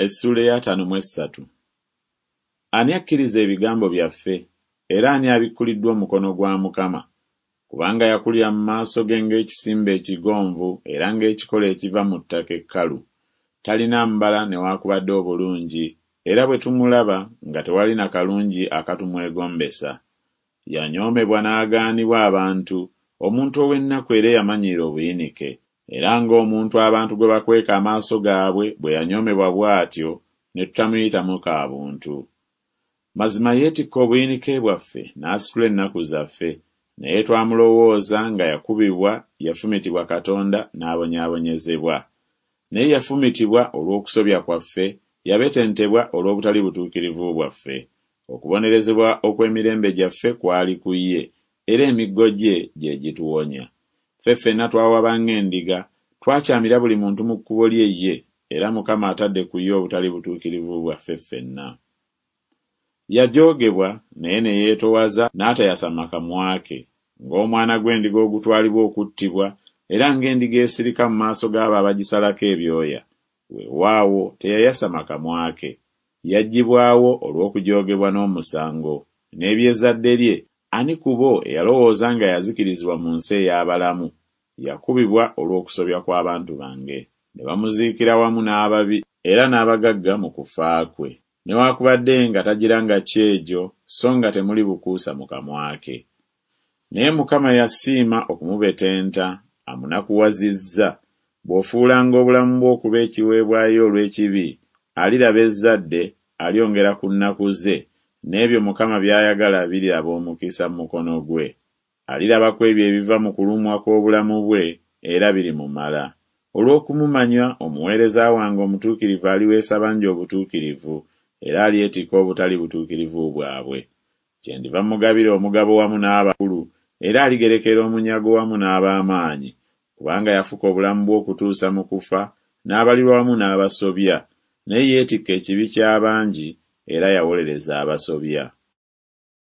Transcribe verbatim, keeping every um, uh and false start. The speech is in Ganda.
Essuula ey'ataano mu essatu. Ani akkiriza ebigambo byaffe, era ani abikkuliddwa omukono gwa Mukama? Kubanga yakulira mu maaso ge ng'ekisimbe ekigonvu era ng'ekikolo ekiva mu ttaka ekkalu. Talina mbala newaakubadde obulungi, era bwe tumulaba nga tewali na kalungi akatumwegombesa. Yanyoomebwa n'agaanibwa abantu, omuntu ow'ennaku era eyamanyiira obuyinike. Era ng'omuntu abantu gwe bakweka amaaso gaabwe bwe yanyoomebwa bw'atyo, ne tutamuyitamu ka buntu. Mazima yeetikka obuyinike bwaffe n'asitula ennaku zaffe, naye twamulowooza nga yakubibwa, yafumitibwa Katonda, n'abonyaabonyezebwa. Naye yafumitibwa olw'okusobya kwaffe, yabetentebwa olw'obutali butuukirivu bwaffe. Okubonerezebwa okw'emirembe gyaffe kwali ku ye, era emiggo gye gye gituwonya. Ffe ffenna twawaba ng'endiga, twakyamira buli muntu mu kkubo lye ye, era Mukama atadde ku ye obutali butuukirivu bwaffe ffenna. Yajoogebwa, naye ne yeetoowaza n'atayasama kamwa ke, ng'omwana gw'endiga ogutwalibwa okuttibwa, era ng'endiga esirika mu maaso g'abo abagisalako ebyoya, weewaawo teyayasama kamwa ke. Yaggyibwawo olw'okujoogebwa n'omusango. N'eby'ezzadde lye, ani ku bo eyalowooza nga yazikirizibwa mu nsi ey'abalamu? Yakubibwa olw'okusobya kw'abantu bange. Ne bamuziikira wamu n'ababi era n'abagagga mu kufa kwe, newaakubadde nga tagiranga kyejo, so nga temuli bukuusa mu kamwa ke. Naye Mukama yasiima okumubetenta, amunakuwazizza. Bw'ofuulanga obulamu bwo okuba ekiweebwayo olw'ekibi, aliraba ezzadde, alyongera ku nnaku ze, n'ebyo Mukama by'ayagala biriraba omukisa mu mukono gwe. Aliraba ku ebyo ebiva mu kulumwa kw'obulamu bwe, era birimumala. Olw'okumumanya, omuweereza wange omutuukirivu aliweesa bangi obutuukirivu, era alyetikka obutali butuukirivu bwabwe. Kyendiva mmugabira omugabo wamu n'abakulu, era aligerekera omunyago wamu n'ab'amaanyi, kubanga yafuka obulamu bwe okutuusa mu kufa, n'abalirwa wamu n'abasobya, naye yeetikka ekibi ky'abangi, era yawolereza abasobya.